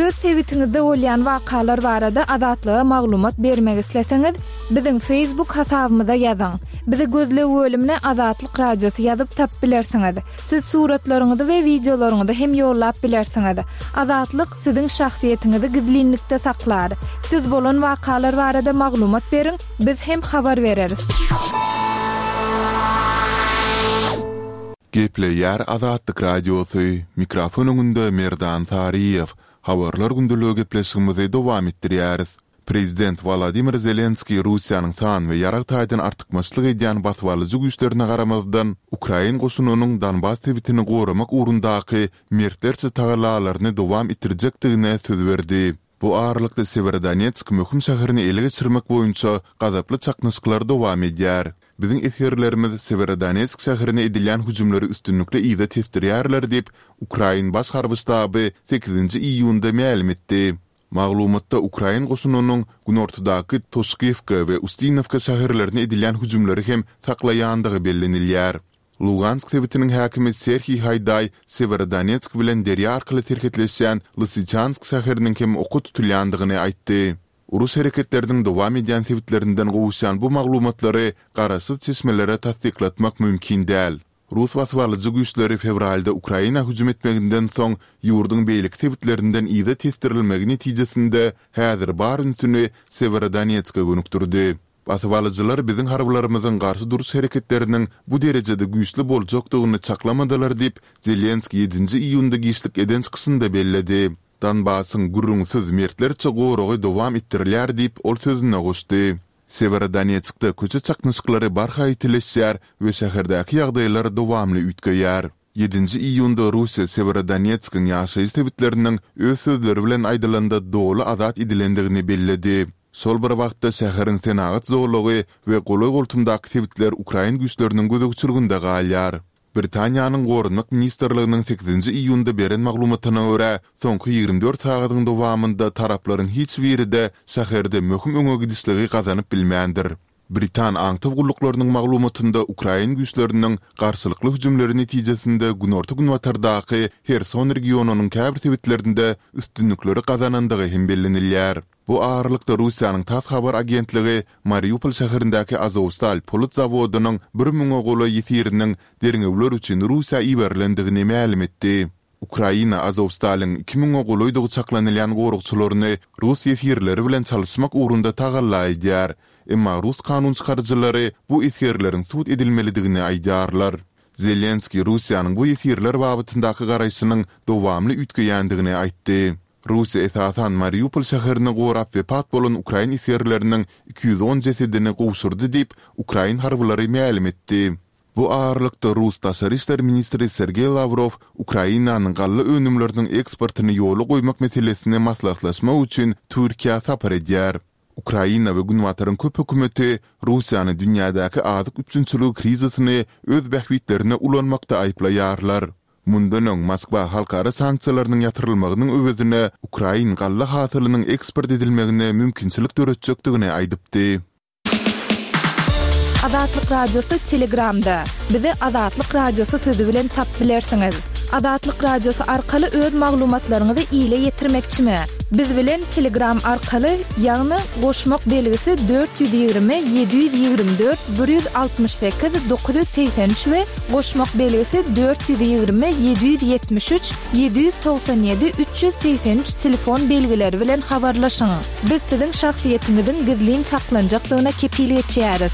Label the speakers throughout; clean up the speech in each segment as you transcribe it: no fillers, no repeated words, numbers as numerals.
Speaker 1: Öz sebitiňizde bolýan wakalar barada Azatlyga maglumat bermek isleseňiz, biziň Facebook hasabymyza ýazyň. Bizi gözleg bölümine Azatlyk Radiosy ýazyp tapyp bilersiňiz. Siz suratlaryňyzy we wideolaryňyzy hem ýollap bilersiňiz. Azatlyk siziň şahsyýetiňizi gizlinlikde saklar. Siz bolan wakalar barada maglumat beriň, biz hem habar bereris.
Speaker 2: Gepleýär Azatlyk Radiosy, mikrofon öňünde Merdan Saryýew. Habarlar gündeligi gepleşigimizi dowam etdirýäris. Prezident Wolodymyr Zelenskiý Russiýanyň san we ýarag taýdan artykmaçlyk edýän basybalyjy güýçlerine garamazdan, ukrain goşunynyň Donbas sebitini goramak ugrundaky mertlerçe tagallalaryny dowam etdirjekdigine söz berdi. Bu aralykda Sewerodonetsk möhüm şäherini ele geçirmek boýunça gazaply çaknyşyklar dowam edýär. Biziň esgerlerimiz Sewerodonetsk şäherine edilýän hüjümleri üstünlikli yza tesdirýärler diýip, ukrain Baş harby ştaby sekizinji iýunda mälim etdi. Maglumatda ukrain goşunynyň günortadaky Toşkiwka we Ustinowka şäherlerine edilýän hüjümleri hem saklaýandygy bellenilýär. Lugansk sebitiniň häkimi Serhiý Haýdaý Sewerodonetsk bilen derýa arkaly serhetleşýän Lysyçansk şäheriniň hem oka tutulýandygyny aýtdy. Uruş hereketleriniň dowam edýän sebitlerinden gowuşýan bu maglumatlary garaşsyz çeşmelere tassyklatmak mümkin däl. Rus basybalyjy güýçleri fewralda Ukraina hüjüm etmeginden soň ýurduň beýleki sebitlerinden yza tesdirilmegi netijesinde häzir bar ünsüni Sewerodonetske gönükdirdi. Basybalyjylar biziň harbylarymyzyň garşy duruş hereketleriniň bu derejede güýçli boljakdygyny çaklamadylar diýip, Zelenskiý ýedinji iýunda giçlik eden çykyşynda belledi. Donbasyň, gürrüňsiz, mertlerçe goragy dowam etdirilýär diýip, ol sözüne goşdy. Sewerodonetskde köçe çaknyşyklary barha ýitileşýär we şäherdäki ýagdaýlar dowamly üýtgeýär. Ýedinji iýunda Russiýa Sewerodonetskiň ýaşaýyş sebitleriniň öz sözleri bilen aýdylanda doly azat edilendigini belledi. Şol bir wagtda şäheriň senagat zolagy we golaý-goltumdaky sebitler ukrain güýçleriniň gözegçiliginde galýar. Britaniýanyň Goranmak ministrliginiň sekizinji iýunda beren maglumatyna görä, soňky 24 sagadyň dowamynda taraplaryň hiç biri-de şäherde möhüm öňe gidişligi gazanyp bilmändir. Britan aňtaw gulluklarynyň maglumatynda ukrain güýçleriniň garşylykly hüjümleri netijesinde günorta-günbatardaky Herson regionynyň käbir sebitlerinde üstünlikleri gazanandygy hem bellenilýär. Bu aralykda Russiýanyň tass habar agentligi Mariupol şäherindäki Azowstal polat zawodynyň bir müňe golaý ýesiriniň derňewler üçin Russiýa iberilendigini mälim etdi. Ukraina Azowstalyň iki müňe golaýdygy çaklanylýan goragçylaryny rus ýesirleri bilen çalyşmak ugrunda tagalla edýär. Emma rus kanunçykaryjylary bu esgerleriň sud edilmelidigini aýdýarlar. Zelenskiý Russiýanyň bu ýesirler babatyndaky garaýşynyň dowamly üýtgeýändigini aýtdy. Russiýa esasan Mariupol şäherini gorap wepat bolan ukrain esgerleriniň 210 jesedini gowşurdy diýip, ukrain harbylary mälim etdi. Bu aralykda, rus daşary işler ministri Sergeý Lawrow Ukrainanyň galla önümleriniň eksportyny ýola goýmak meselesini maslahatlaşmak üçin Türkiýä sapar edýär. Ukraina we Günbataryň köp hökümeti Russiýany dünýädäki azyk üpjünçiligi krizisini öz bähbitlerine ulanmakda aýyplaýarlar. Mundan öň Moskwa halkara sanksiýalarynyň ýatyrylmagynyň öwezine ukrain galla hasylynyň eksport edilmegine mümkinçilik döretjekdigini aýdypdy.
Speaker 1: Azatlyk Radiosy Telegramda. Bizi Azatlyk Radiosy sözi bilen tapyp bilersiňiz. Azatlyk Radiosy arkaly öz maglumatlaryňyzy ile ýetirmekçimi? Biz bilen Telegram arkaly, ýagny goşmak belgisi 420 724 168 983 we Goşmak belgisi 420 773 797 383 telefon belgileri bilen habarlaşyň. Biz siziň şahsyýetiňiziň gizlin saklanjakdygyna kepil geçýäris.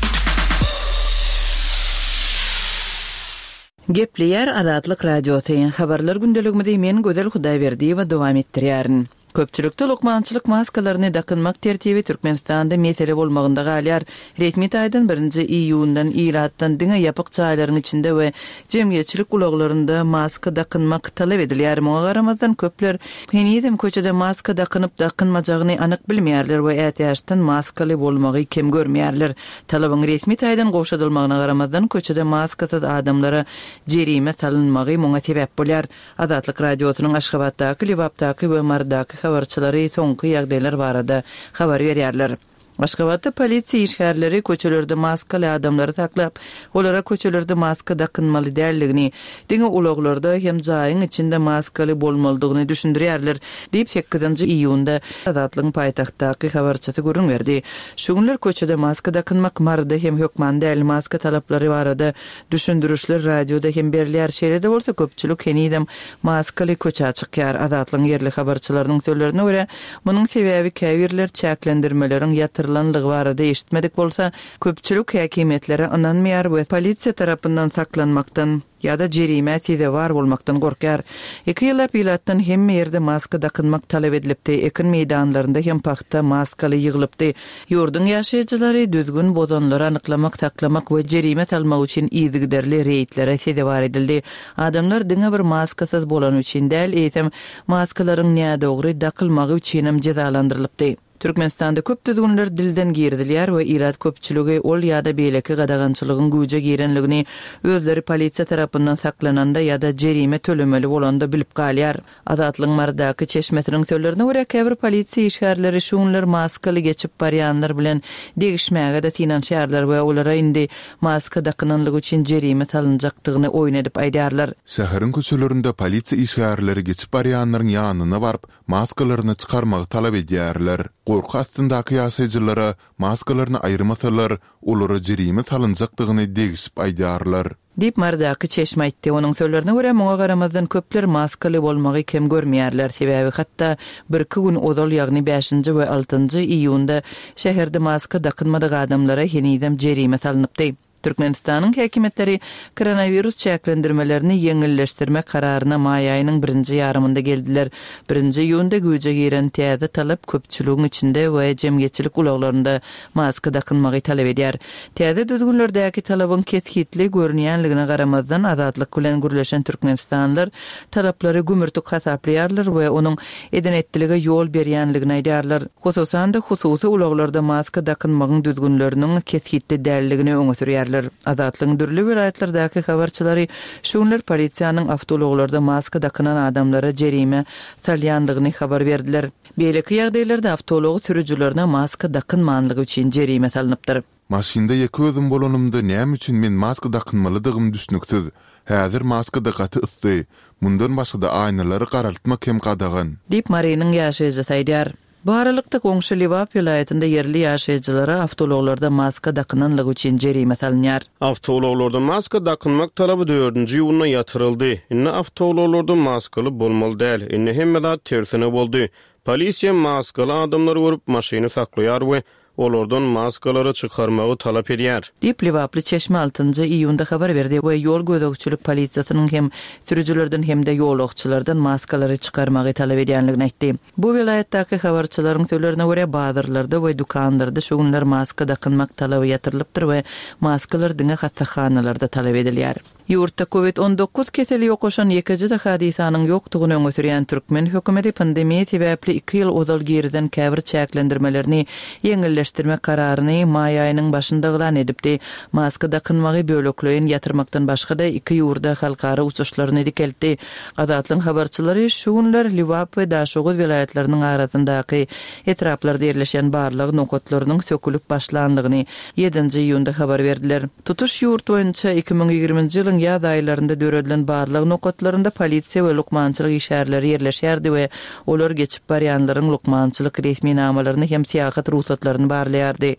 Speaker 3: Gepleýär Azatlyk Radiosy, Habarlar gündeligimizi men Gözel Hudaýberdiýewa dowam etdirýärin. Köpçülikde lukmançylyk maskalaryny dakynmak tertibi Türkmenistanda mesele bolmagynda galýar. Resmi taýdan birinji iýundan ilatdan diňe ýapyk jaýlaryň içinde we jemgyýetçilik ulaglarynda maska dakynmak talap edilýär. Muňa garamazdan, köpler henizem köçede maska dakynyp-dakynmajagyny anyk bilmeýärler we ätiýaçdan maskaly bolmagy kem görmeýärler. Talabyň resmi taýdan gowşadylmagyna garamazdan, köçede maskasyz adamlara jerime salynmagy muňa sebäp bolýar. Azatlyk Radiosynyň Aşgabatdaky, Lebapdaky we Marydaky habarçylary soňky ýagdaýlar barada habar berýärler. Aşgabatda polisiýa işgärleri köçelerde maskaly adamlary saklap, olara köçelerde maska dakynmaly däldigini, diňe ulaglarda hem jaýyň içinde maskaly bolmalydygyny düşündirýärler, diýip, sekizinji iýunda Azatlygyň paýtagtdaky habarçysy gürrüň berdi. Şu günler köçede maska dakynmak Maryda hem hökman däl, maska talaplary barada düşündirişler radioda hem berilýär, şeýle-de bolsa köpçülik henizem maskaly köçä çykýar. Azatlygyň ýerli habarçylarynyň sözlerine görä, munuň sebäbi käbirler çäklendirmeleriň ýatyrylanlygy barada eşitmedik bolsa, köpçülik häkimiýetlere ynanmaýar we polisiýa tarapyndan saklanmakdan ýa-da jerimä sezewar bolmakdan gorkýar. Iki ýyllap ilatdan hemme ýerde maska dakynmak talap edilipdi, ekin meýdanlarynda hem pagta maskaly ýygylypdy. Ýurduň ýaşaýjylary düzgün bozanlary anyklamak, saklamak we jerime salmak üçin yzygiderli reýdlere sezewar edildi. Adamlar diňe bir maskasyz bolany üçin däl, eýsem, maskalaryň nädogry dakylmagy üçinem jezalandyrylypdy. Türkmenistanda köp düzgünler dilden girizilýär we ilat köpçüligi ol ýa-da beýleki gadagançylygyň güýje girenligini özleri polisiýa tarapyndan saklananda ýa-da jerime tölemeli bolanda bilip galýar. Azatlygyň Marydaky çeşmesiniň sözlerine görä, käbir polisiýa işgärleri şu günler maskaly geçip barýanlar bilen degişmäge-de synanyşýarlar we olara indi maska dakynanlygy üçin jerime salynjakdygyny oýun edip aýdýarlar.
Speaker 2: Şäheriň köçelerinde polisiýa işgärleri geçip barýanlaryň ýanyna baryp, maskalaryny çykarmagy talap edýärler. Gorky astyndaky ýaşaýjylara maskalaryny aýyrmasalar, olara jerime salynjakdygyny degişip aýdýarlar.
Speaker 3: Diýip, Marydaky çeşme aýtdy. Onuň sözlerine görä, muňa garamazdan köpler maskaly bolmagy kem görmeýärler, sebäbi hatda birki gün ozal, ýagny bäşinji we altynjy iýunda şäherde maska dakynmadyk adamlara henizem jerime salnypdy. Türkmenistanyň häkimiýetleri koronawirus çäklendirmelerini ýeňilleşdirmek kararyna maý aýynyň birinji ýarymynda geldiler. Birinji iýunda güýje giren täze talap köpçüligiň içinde we jemgyýetçilik ulaglarynda maska dakynmagy talap edýär. Täze düzgünlerdäki talabyň kesgitli görünýänligine garamazdan, Azatlyk bilen gürleşen türkmenistanlylar talaplary gümürtik hasaplaýarlar we onuň eden-etdilige ýol berýänligini aýdýarlar. Hususan-da, hususy ulaglarda maska dakynmagyň düzgünleriniň kesgitli däldigini öňe sürýärler. Azatlygyň dürli welaýatlardaky habarçylary şu günler polisiýanyň awtoulaglarda maska dakynan adamlara jerime salýandygyny habar berdiler. Beýleki ýagdaýlarda awtoulag sürüjilerine maska dakynmanlygy üçin jerime salnypdyr.
Speaker 2: Maşynda ýeke özüm bolanymda näme üçin men maska dakynmalydygym düşnüksiz. Häzir maskada gaty yssy. Mundan başgada aýnalary garaltmak hem gadagan.
Speaker 3: Diýip, Marynyň ýaşaýjysy aýdýar. Bu aralykda, goňşy Lebap welaýatynda ýerli ýaşaýjylara awtoulaglarda maska dakynanlygy üçin jerime salynýar.
Speaker 4: Awtoulaglarda maska dakynmak talaby dördünji iýunda ýatyryldy. Indi awtoulaglarda maskaly bolmaly däl. Indi hemme zat tersine boldy. Polisiýa maskaly adamlary görüp, maşyny saklaýar we olardan maskalary çykarmagy talap edýär.
Speaker 3: Diýip, lebaply çeşme altynjy iýunda habar berdi we ýol gözegçilik polisiýasynyň hem sürüjilerden hem-de ýolagçylardan maskalary çykarmagy talap edýänligini aýtdy. Bu welaýatdaky habarçylaryň sözlerine görä, bazarlarda we dükanlarda şu günler maska dakynmak talaby ýatyrylypdyr we maskalar diňe hassahanalarda talap edilýär. Ýurtda Covid 19 keseli ýokaşan ýekeje-de hadysanyň ýokdugyny öňe sürýän türkmen hökümeti pandemiýa sebäpli iki ýyl ozal girizen käbir çäklendirmelerini ýeňilleşdirmek kararyny maý aýynyň başynda yglan edipdi. Maska dakynmagy bölekleýin ýatyrmakdan başga-da iki ýurda halkara uçuşlaryny dikeltdi. Azatlygyň habarçylary şu günler Lebap we Daşoguz welaýatlarynyň arasyndaky etraplarda ýerleşen barlag nokatlarynyň sökülip başlandygyny ýedinji iýunda habar berdiler. Tutuş ýurt boýunça 2020-nji ýylyň ýaz aýlarynda döredilen barlag nokatlarynda polisiýa we lukmançylyk işgärleri ýerleşýärdi we olar geçip barýanlaryň lukmançylyk resminamalaryny hem syýahat rugsatlaryny barlaýardy.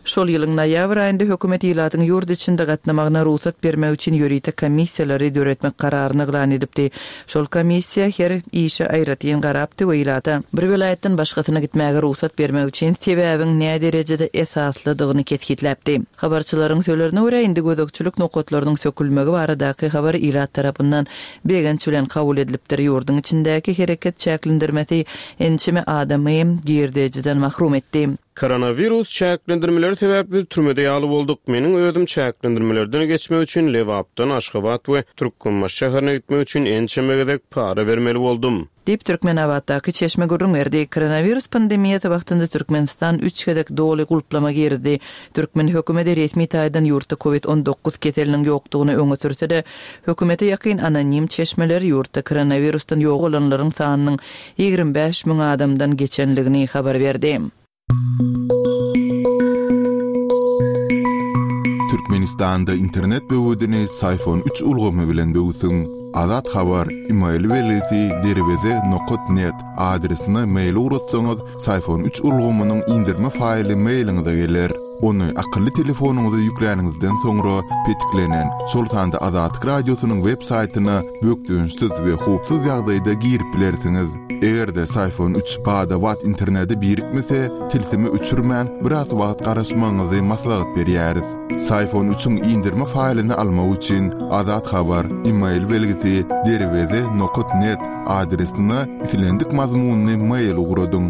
Speaker 3: Şol ýylyň noýabr aýynda hökümet ilatyň ýurt içinde gatnamagyna rugsat bermek üçin ýörite komissiýalary döretmek kararyny yglan edipdi. Şol komissiýa her işe aýratyn garapdy we ilata bir welaýatdan başgasyna gitmäge rugsat bermek üçin sebäbiň näderejede esaslydygyny kesgitläpdi. Habarçylaryň sözlerine görä, indi gözegçilik nokatlarynyň sökülmegi baradaky habar ilat tarapyndan begenç bilen kabul edilipdir, ýurduň içindäki hereket çäklendirmesi ençeme adamy girdejiden mahrum etdi.
Speaker 4: Koronawirus çäklendirmeleri sebäpli biz türmede ýaly bolduk. Meniň özüm çäklendirmelerden geçmek üçin Lebapdan Aşgabat we Türkmenbaşy şäherine gitmek üçin ençeme gezek para bermeli boldum.
Speaker 3: Diýip, Türkmenabatdaky çeşme gürrüň berdi. Koronawirus pandemiýasy wagtynda Türkmenistan üç gezek doly gulplama girizdi. Türkmen hökümeti resmi taýdan ýurtda Covid 19 keseliniň ýokdugyny öňe sürse-de, hökümete ýakyn anonim çeşmeler ýurtda koronawirusdan ýogalanlaryň sanynyň 25 müň adamdan geçenligini habar berdi.
Speaker 2: Türkmenistanda internet böwedini Syfon üç ulgamy bilen böwsüň. Azat Habar, email belgisi derweze nokat net adresine mail ugratsaňyz, Syfon üç ulgamynyň indirme faýly mailiňize geler. Ony akylly telefonyňyza ýükläniňizden soňra petiklenen, şol sanda Azatlyk Radiosynyň web saýtyna bökdençsiz we howpsuz ýagdaýda girip bilersiňiz. Eger-de Syfon üç bada-bat internete birikmese, tilsimi öçürmän, biraz wagt garaşmagyňyzy maslahat berýäris. Syfon üçiň indirme faýlyny almak üçin Azat Habar, email belgisi, derweze nokat net adresine islendik mazmunly mail ugradyň.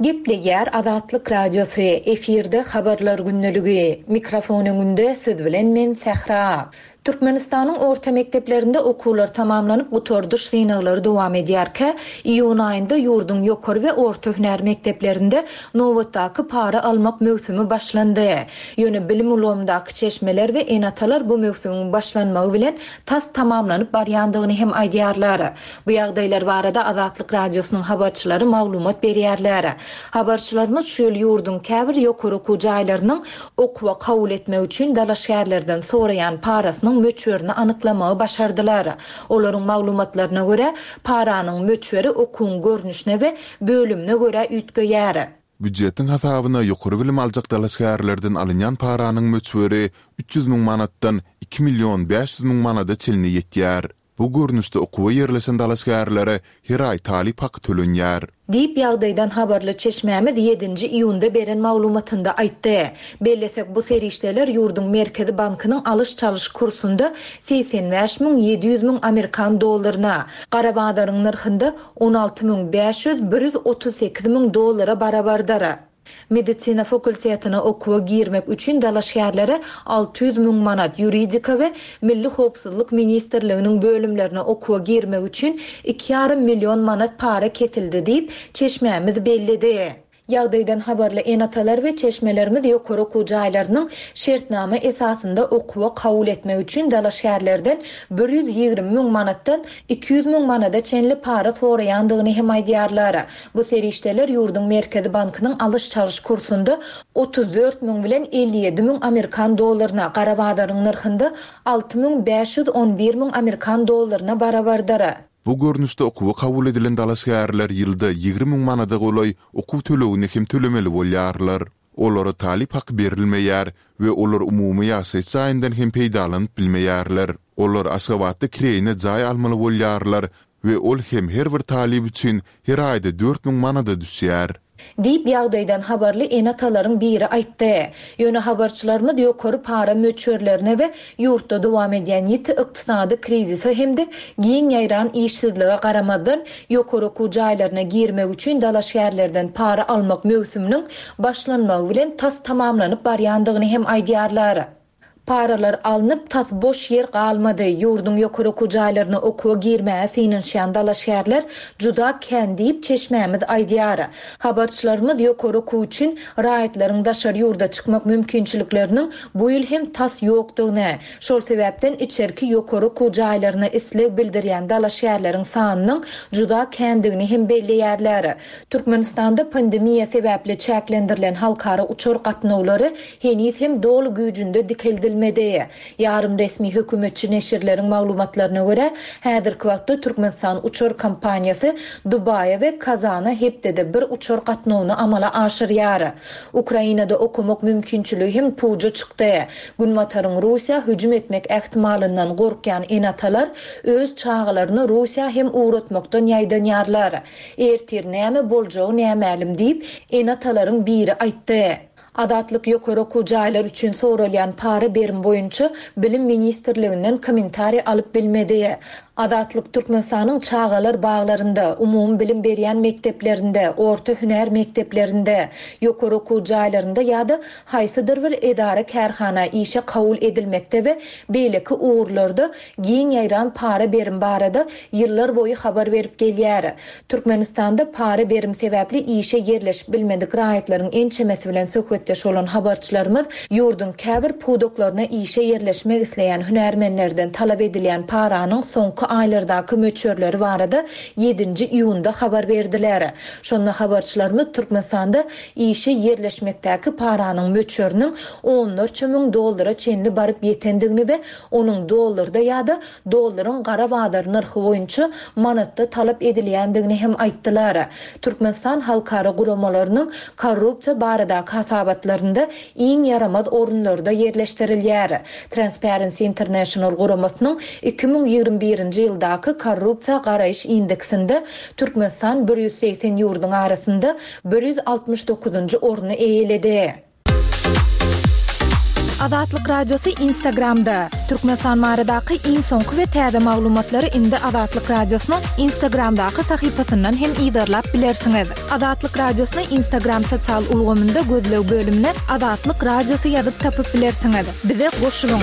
Speaker 1: Gepleýär Azatlyk Radiosy, efirde Habarlar gündeligi. Mikrofon öňünde siz bilen men Sähra. Türkmenistanyň orta mekdeplerinde okuwlar tamamlanyp, gutardyş synaglary dowam edýärkä, iýun aýynda ýurduň ýokary we orta hünär mekdeplerinde nobatdaky para almak möwsümi başlandy. Ýöne bilim ulgamyndaky çeşmeler we ene-atalar bu möwsümiň başlanmagy bilen tas tamamlanyp barýandygyny hem aýdýarlar. Bu ýagdaýlar barada Azatlyk Radiosynyň habarçylary maglumat berýärler. Habarçylarymyz şu ýyl ýurduň käbir ýokary okuw jaýlarynyň okuwa kabul etmek üçin dalaşgärlerden soraýan parasynyň möçberini anyklamagy başardylar. Olaryň maglumatlaryna görä, paranyň möçberi okuwyň görnüşine we bölümine görä üýtgeýär.
Speaker 2: Býujetiň hasabyna ýokary bilim aljak dalaşgärlerden alynýan paranyň möçberi 300 müň manatdan 2 million 500 müň manada çenli ýetýär. Bu görnüşde okuwa ýerleşen dalaşgärlere her aý talyp haky tölenýär.
Speaker 1: Diýip, ýagdaýdan habarly çeşmämiz ýedinji iýunda beren maglumatynda aýtdy. Bellesek, bu serişdeler ýurduň Merkezi bankynyň alyş-çalyş kursunda 85 700 müň amerikan dollaryna, gara bazaryň nyrhynda 16 500 138 müň dollara barabardyr. Medisina fakultetine okuwa girmek üçin dalaşgärlere 600 müň manat, ýuridika we Milli howpsuzlyk ministrliginiň bölümlerine okuwa girmek üçin iki ýarym million manat para kesildi diýip, çeşmämiz belledi. Ýagdaýdan habarly ene-atalar we çeşmelerimiz ýokary okuw jaýlarynyň şertnama esasynda okuwa kabul etmek üçin dalaşgärlerden 120 müň manatdan 200 müň manada çenli para soraýandygyny hem aýdýarlar. Bu serişdeler ýurduň Merkezi bankynyň alyş-çalyş kursunda 34 müň bilen 57 müň amerikan dollaryna, gara bazaryň nyrhynda 6511 müň amerikan dollaryna barabardyr.
Speaker 2: Bu görnüşde okuwa kabul edilen dalaşgärler ýylda 20 müň manada golaý okuw tölegini hem tölemeli bolýarlar. Olara talyp haky berilmeýär we olar umumy ýaşaýyş jaýyndan hem peýdalanyp bilmeýärler. Olar Aşgabatda kireýine jaý almaly bolýarlar we ol hem her bir talyp üçin her aýda 4000 manada düşýär.
Speaker 1: Diýip, ýagdaýdan habarly ene-atalaryň biri aýtdy. Ýöne habarçylarymyz ýokary para möçberlerine we ýurtda dowam edýän ýiti ykdysady krizise hem-de giň ýaýran işsizlige garamazdan, ýokary okuw jaýlaryna girmek üçin dalaşgärlerden para almak möwsüminiň başlanmagy bilen tas tamamlanyp barýandygyny hem aýdýarlar. Paralar alnyp, tas boş ýer galmady. Ýurduň ýokary okuw jaýlaryna okuwa girmäge synanyşýan dalaşgärler juda kän diýip, çeşmämiz aýdýar. Habarçylarymyz ýokary okuw üçin raýatlaryň daşary ýurda çykmak mümkinçilikleriniň bu ýyl hem tas ýokdugyny, şol sebäpden içerki ýokary okuw jaýlaryna isleg bildirýän dalaşgärleriň sanynyň juda kändigini hem belleýärler. Türkmenistanda pandemiýa sebäpli çäklendirilen halkara uçar gatnawlary heniz hem doly güýjünde dikeldilmedi. Ýarym resmi hökümetçi neşirleriň maglumatlaryna görä, häzirki wagtda Türkmenistan uçar kompaniýasy Dubaýa we Kazana hepdede bir uçar gatnawyny amala aşyrýar. Ukrainada okamak mümkinçiligi hem puja çykdy. Günbataryň Russiýa hüjüm etmek ähtimalyndan gorkýan ene-atalar öz çagalaryny Russiýa hem ugratmakdan ýaýdanýarlar. Ertir näme boljagy nämälim diýip, ene-atalaryň biri aýtdy. Azatlyk ýokary okuw jaýlary üçin soralýan para berim boýunça Bilim ministrliginden kommentariý alyp bilmedi. Azatlyk Türkmenistanyň çagalar baglarynda, umumybilim berýän mekdeplerinde, orta hünär mekdeplerinde, ýokary okuw jaýlarynda ýa-da haýsydyr bir edara-kärhana işe kabul edilmekde we beýleki ugurlarda giň ýaýran para berim barada ýyllar boýy habar berip gelýär. Türkmenistanda para berim sebäpli işe ýerleşip bilmedik raýatlaryň ençemesi bilen söhbetdeş. söhbetdeş bolan habarçylarymyz ýurduň käbir pudaklaryna işe ýerleşmek isleýän hünärmenlerden talap edilýän paranyň soňky aýlardaky möçberleri barada ýedinji iýunda habar berdiler. Şonda habarçylarymyz Türkmenistanda işe ýerleşmekdäki paranyň möçberiniň onlarça müň dollara çenli baryp ýetendigini we onuň dollarda ýa-da dollaryň gara bazar nyrhy boýunça manatda talap edilýändigini hem aýtdylar. Türkmenistan halkara guramalarynyň korrupsiýa baradaky hasabatlarynda iň ýaramaz orunlarda ýerleşdirilýär. Transparency International guramasynyň 2021-nji ýyldaky korrupsiýa garaýyş indeksinde Türkmenistan 180 ýurduň arasynda 169-njy orny eýeledi. Azatlyk Radiosy Instagramda, Türkmenistan baradaky iň soňky we täze maglumatlary indi Azatlyk Radiosynyň Instagramdaky sahypasyndan hem yzarlap bilersiňiz. Azatlyk Radiosyny Instagram sosial ulgamynda gözleg bölümine Azatlyk Radiosy ýazyp tapyp bilersiňiz. Bize goşulyň!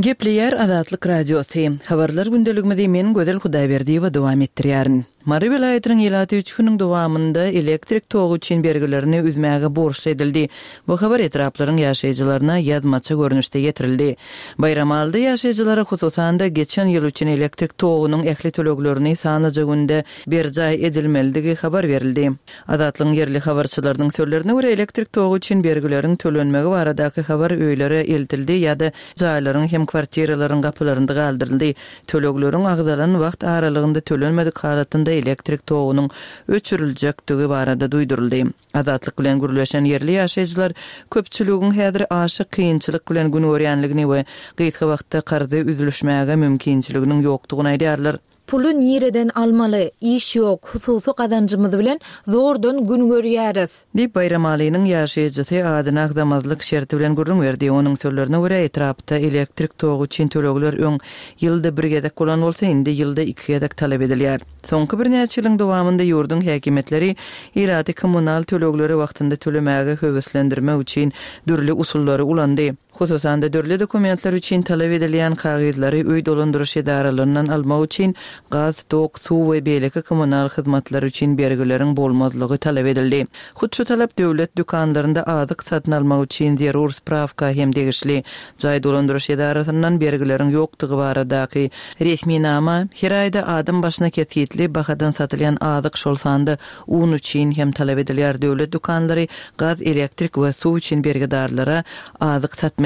Speaker 3: Gepleýär Azatlyk Radiosy. Habarlar gündeligimizi men Gözel Hudaýberdiýewa dowam etdirýärin. Mary welaýatynyň ilaty üç günüň dowamynda elektrik togy üçin bergilerini üzmäge borçly edildi. Bu habar etraplaryň ýaşaýjylaryna ýazmaça görnüşde ýetirildi. Baýramalyda ýaşaýjylara hususan-da geçen ýyl üçin elektrik togunyň ähli töleglerini sanlyja günde berjaý edilmelidigi habar berildi. Azatlygyň ýerli habarçylarynyň sözlerine görä, elektrik togy üçin bergileriň tölenmegi baradaky habar öýlere eltildi ýa-da jaýlaryň hem kwartiralaryň gapylarynda galdyryldy. Tölegleriň agzalan wagt aralygynda tölenmedik halatynda elektrik togunyň öçüriljekdigi barada duýduryldy. Azatlyk bilen gürleşen ýerli ýaşaýjylar köpçüligiň häzir aşa kynçylyk bilen gün görýänligini we gysga wagtda karzy üzlüşmäge mümkinçiliginiň ýokdugyny aýdýarlar.
Speaker 1: Puly nireden almaly? Iş ýok, hususy gazanjymyz bilen zordan gün görýäris.
Speaker 3: Diýip, Baýramalynyň ýaşaýjysy adyny agzamazlyk şerti bilen gürrüň berdi. Onuň sözlerine görä, etrapda elektrik togy üçin tölegler öň ýylda bir gezek bolan bolsa, indi ýylda iki gezek talap edilýär. Soňky birnäçe ýylyň dowamynda ýurduň häkimiýetleri ilaty kommunal tölegleri wagtynda tölemäge höweslendirmek üçin dürli usullary ulandy. Hususan-da, dürli dokumentler üçin talap edilýän kagyzlary öý dolandyryş edaralaryndan almak üçin gaz, tok, suw we beýleki kommunal hyzmatlar üçin bergileriň bolmazlygy talap edildi. Hut şu talap döwlet dükanlarynda azyk satyn almak üçin zerur sprawka hem degişli. Jaý dolandyryş edarasyndan bergileriň ýokdugy baradaky resminama, her aýda adam başyna kesgitli bahadan satylýan azyk, şol sanda un üçin hem talap edilýär. Döwlet dükanlary gaz, elektrik we suw üçin bergidarlara azyk satmaýar.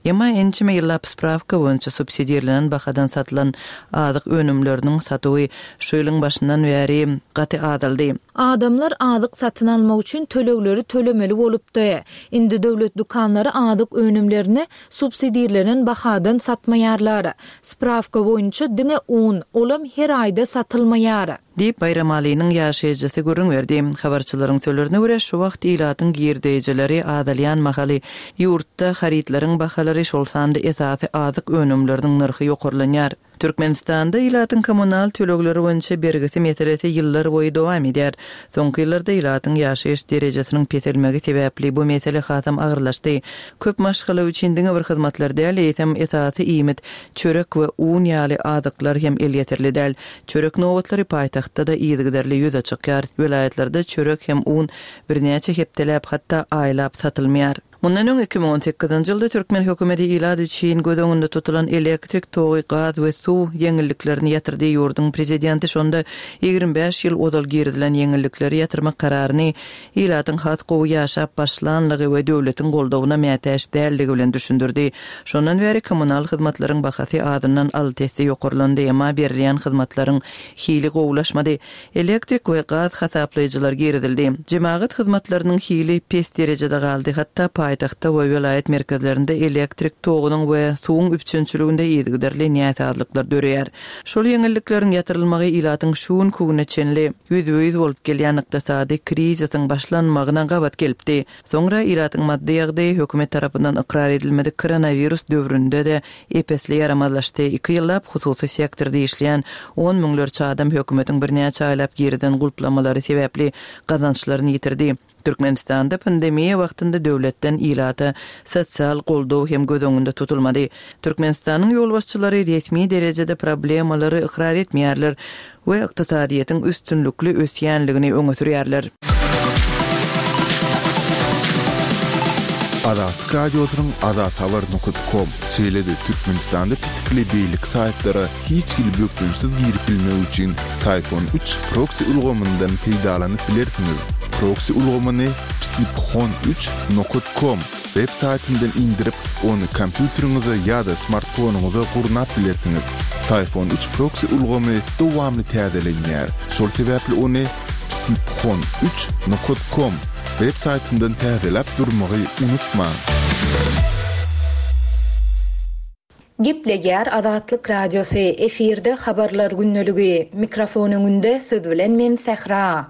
Speaker 3: Emma ençeme ýyllap sprawka boýunça subsidirlenen bahadan satylan azyk önümleriniň satuwy şu ýylyň başyndan bäri gaty azaldy.
Speaker 1: Adamlar azyk satyn almak üçin tölegleri tölemeli bolupdy. Indi döwlet dükanlary azyk önümlerini subsidirlenen bahadan satmaýarlar. Sprawka boýunça diňe un, olam her aýda satylmaýar.
Speaker 3: Diýip, Baýramalynyň ýaşaýjysy gürrüň berdi. Habarçylaryň sözlerine görä, şu wagt ilatyň girdeýjileri azalýan mahaly, ýurtda harytlaryň bahalary, şol sanda esasy azyk önümleriniň nyrhy ýokarlanýar. Türkmenistanda ilatyň kommunal tölegleri boýunça bergisi meselesi ýyllar boýy dowam edýär. Soňky ýyllarda ilatyň ýaşaýyş derejesiniň peselmegi sebäpli bu mesele hasam agyrlaşdy. Köp maşgala üçin diňe bir hyzmatlar däl, eýsem esasy iýmit, çörek we un ýaly azyklar hem elýeterli däl. Çörek nobatlary paýtagtda-da yzygiderli ýüze çykýar. Welaýatlarda çörek hem un birnäçe hepdeläp, hatda aýlap satylmaýar. Mundan öň, 2018-nji ýylda türkmen hökümeti ilat üçin göz öňünde tutulan elektrik togy, gaz we suw ýeňilliklerini ýatyrdy. Ýurduň prezidenti şonda 25 ýyl ozal girizilen ýeňillikleri ýatyrmak kararyny ilatyň has gowy ýaşap başlanlygy we döwletiň goldawyna mätäç däldigi bilen düşündirdi. Şondan bäri kommunal hyzmatlaryň bahasy azyndan alty esse ýokarlandy, emma berilýän hyzmatlaryň hili gowulaşmady. Elektrik we gaz hasaplaýjylar girizildi. Jemagat hyzmatlarynyň hili pes derejede galdy, hatda paýtagtda we welaýat merkezlerinde elektrik togunyň we suwuň üpjünçiliginde yzygiderli näsazlyklar döreýär. Şol ýeňillikleriň ýatyrylmagy ilatyň şu günki güne çenli ýüzbe-ýüz bolup gelýän ykdysady krizisiň başlanmagyna gabat gelipdi. Soňra ilatyň maddy ýagdaýy hökümet tarapyndan ykrar edilmedik koronawirus döwründe-de ep-esli ýaramazlaşdy. Iki ýyllap hususy sektorda işleýän on müňlerçe adam hökümetiň birnäçe aýlap girizen gulplamalary sebäpli gazançlaryny ýitirdi. Türkmenistanda pandemiýa wagtynda döwletden ilata sosial goldaw hem göz öňünde tutulmady. Türkmenistanyň ýolbaşçylary resmi derejede problemalary ykrar etmeýärler we ykdysadyýetiň üstünlikli ösýänligini öňe sürýärler.
Speaker 2: Azatlyk Radiosynyň azathabar nokat kom, şeýle-de Türkmenistanda petikli beýleki saýtlara hiç hili bökdençsiz girip bilmek üçin Syphon üç proksi ulgamyndan peýdalanyp bilersiňiz. Proksi ulgamyny psiphon üç nokat kom web saýtyndan indirip, ony kompýuteriňize ýa-da smartfonyňyza gurnap bilersiňiz. Syphon üç proksi ulgamy dowamly täzelenýär, şol sebäpli ony psiphon üç nokat kom web saýtyndan täzeläp durmagy unutmaň!
Speaker 1: Gepleýär Azatlyk Radiosy, efirde Habarlar gündeligi. Mikrofon öňünde siz bilen men Sähra.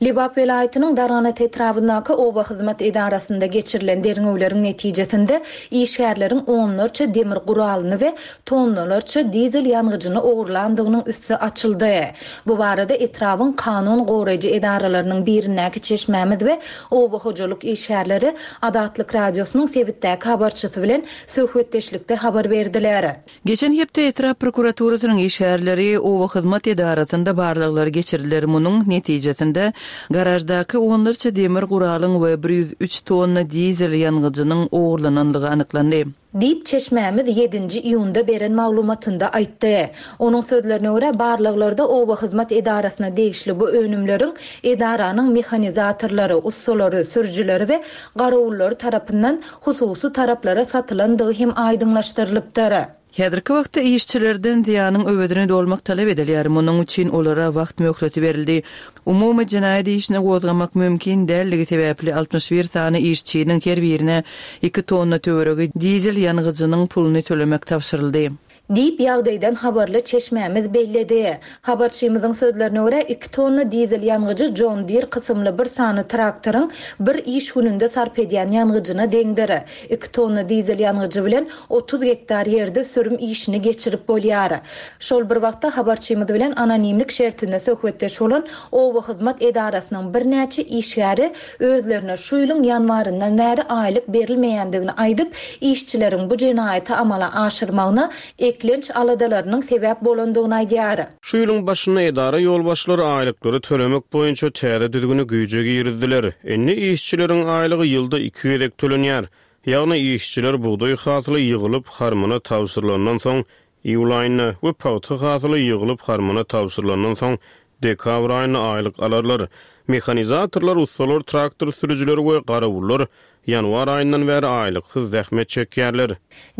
Speaker 1: Lebap welaýatynyň Darganata etrabyndaky oba hyzmat edarasynda geçirilen derňewleriň netijesinde işgärleriň onlarça demir guralyny we tonnalarça dizel ýangyjyny ogurlandygynyň üsti açyldy. Bu barada etrabyň kanun goraýjy edaralarynyň birindäki çeşmämiz we oba hojalyk işgärleri Azatlyk Radiosynyň sebitdäki habarçysy bilen söhbetdeşlikde habar berdiler.
Speaker 3: Geçen hepde etrap prokuraturasynyň işgärleri oba hyzmat edarasynda barlaglary geçirdiler. Munuň netijesinde, garaždaky onlarça demir guralyň we 103 tonna dizel ýangyjynyň ogurlanandygy anyklandy.
Speaker 1: Diýip, çeşmämiz ýedinji iýunda beren maglumatynda aýtdy. Onuň sözlerine görä, barlaglarda oba hyzmat edarasyna degişli bu önümleriň edaranyň mehanizatorlary, ussalary, sürüjileri we garawullary tarapyndan hususy taraplara satylandygy hem aýdyňlaşdyrylypdyr.
Speaker 3: Häzirki wagtda işçilerden zyýanyň öwezini dolmak talap edilýär, munuň üçin olara wagt möhleti berildi. Umumy jenaýat işini gozgamak mümkin däldigi sebäpli 61 sany işçiniň her birine iki tonna töweregi dizel ýangyjynyň puluny tölemek tabşyryldy.
Speaker 1: Diýip, ýagdaýdan habarly çeşmämiz belledi. Habarçymyzyň sözlerine görä, iki tonna dizel ýangyjy John Deere kysymly bir sany traktoryň bir iş gününde sarp edýän ýangyjyna deňdir. Iki tonna dizel ýangyjy bilen 30 gektar ýerde sürüm işini geçirip bolýar. Şol bir wagtda, habarçymyz bilen anonimlik şertinde söhbetdeş bolan oba hyzmat edarasynyň birnäçe işgäri özlerine şu ýylyň ýanwaryndan bäri aýlyk berilmeýändigini aýdyp, işçileriň bu jenaýaty amala aşyrmagyna eklenç aladalarynyň sebäp bolandygyny aýdýar.
Speaker 4: Şu ýylyň başynda edara ýolbaşçylary aýlyklary tölemek boýunça täze düzgüni güýje girizdiler. Indi işçileriň aýlygy ýylda iki gezek tölenýär. Ýagny işçiler bugdaý hasyly ýygylyp, harmana tabşyrylandan soň Iýul aýynda we pagta hasyly ýygylyp harmana tabşyrylandan soň dekabr aýynda aýlyk alarlar. Mehanizatorlar, ussalar, traktor sürüjileri we garawullar ýanwar aýyndan bäri aýlyksyz zähmet çekýärler.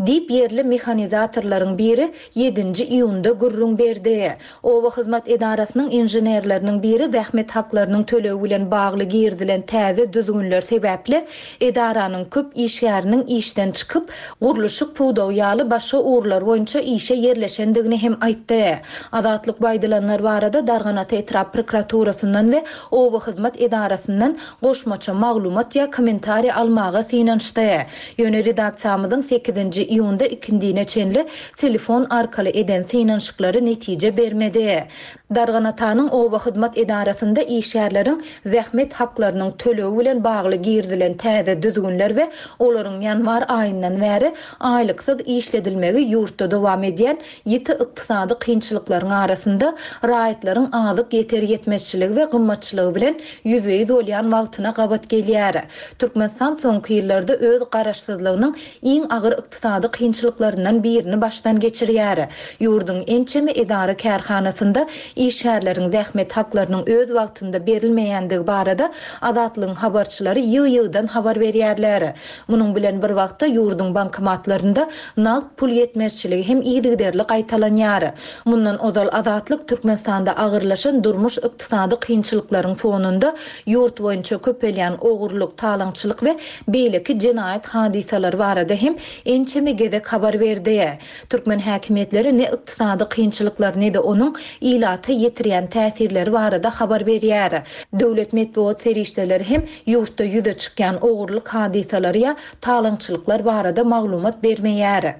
Speaker 1: Diýip, ýerli mehanizatorlaryň biri ýedinji iýunda gürrüň berdi. Oba hyzmat edarasynyň inženerleriniň biri zähmet haklarynyň tölegi bilen bagly girizilen täze düzgünler sebäpli edaranyň köp işgäriniň işden çykyp, gurluşyk pudagy ýaly başga ugurlar boýunça işe ýerleşendigini hem aýtdy. Azatlyk bu aýdylanlar barada Darganata etrap prokuraturasyndan we oba hyzmat edarasyndan goşmaça maglumat ýa kommentariý almaga synanyşdy. Ýöne redaksiýamyzyň sekizinji iýunda ikindine çenli telefon arkaly eden synanyşyklary netije bermedi. Darganatanyň oba hyzmat edarasynda işgärleriň zähmet haklarynyň tölegi bilen bagly girizilen täze düzgünler we olaryň ýanwar aýyndan bäri aýlyksyz işledilmegi ýurtda dowam edýän ýiti ykdysady kynçylyklaryň arasynda raýatlaryň azyk ýeter-ýetmezçiligi we gymmatçylygy bilen ýüzbe-ýüz bolýan wagtyna gabat gelýär. Türkmenistan soňky ýyllarda öz garaşsyzlygynyň iň agyr ykdysady kynçylyklaryndan birini başdan geçirýär. Ýurduň ençeme edara-kärhanasynda işgärleriň zähmet haklarynyň öz wagtynda berilmeýändigi barada Azatlygyň habarçylary ýygy-ýygydan habar berýärler. Munuň bilen bir wagtda, ýurduň bankomatlarynda nagt pul ýetmezçiligi hem yzygiderli gaýtalanýar. Mundan ozal Azatlyk Türkmenistanda agyrlaşan durmuş-ykdysady kynçylyklaryň fonunda ýurt boýunça köpelýän ogurlyk, talaňçylyk we beýleki jenaýat hadysalary barada hem ençeme gezek habar berdi. Türkmen häkimiýetleri ne ykdysady kynçylyklar, ne-de onuň ilata ýetirýän täsirleri barada habar berýär. Döwlet metbugat serişdeleri hem ýurtda ýüze çykýan ogurlyk hadysalary ýa talaňçylyklar barada maglumat bermeýär.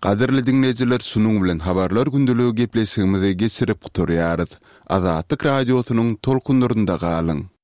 Speaker 2: Gadyrly diňleýjiler şunuň bilen Habarlar gündeligi gepleşigimizi geçirip gutarýarys. Azatlyk Radiosynyň tolkunlarynda galyň!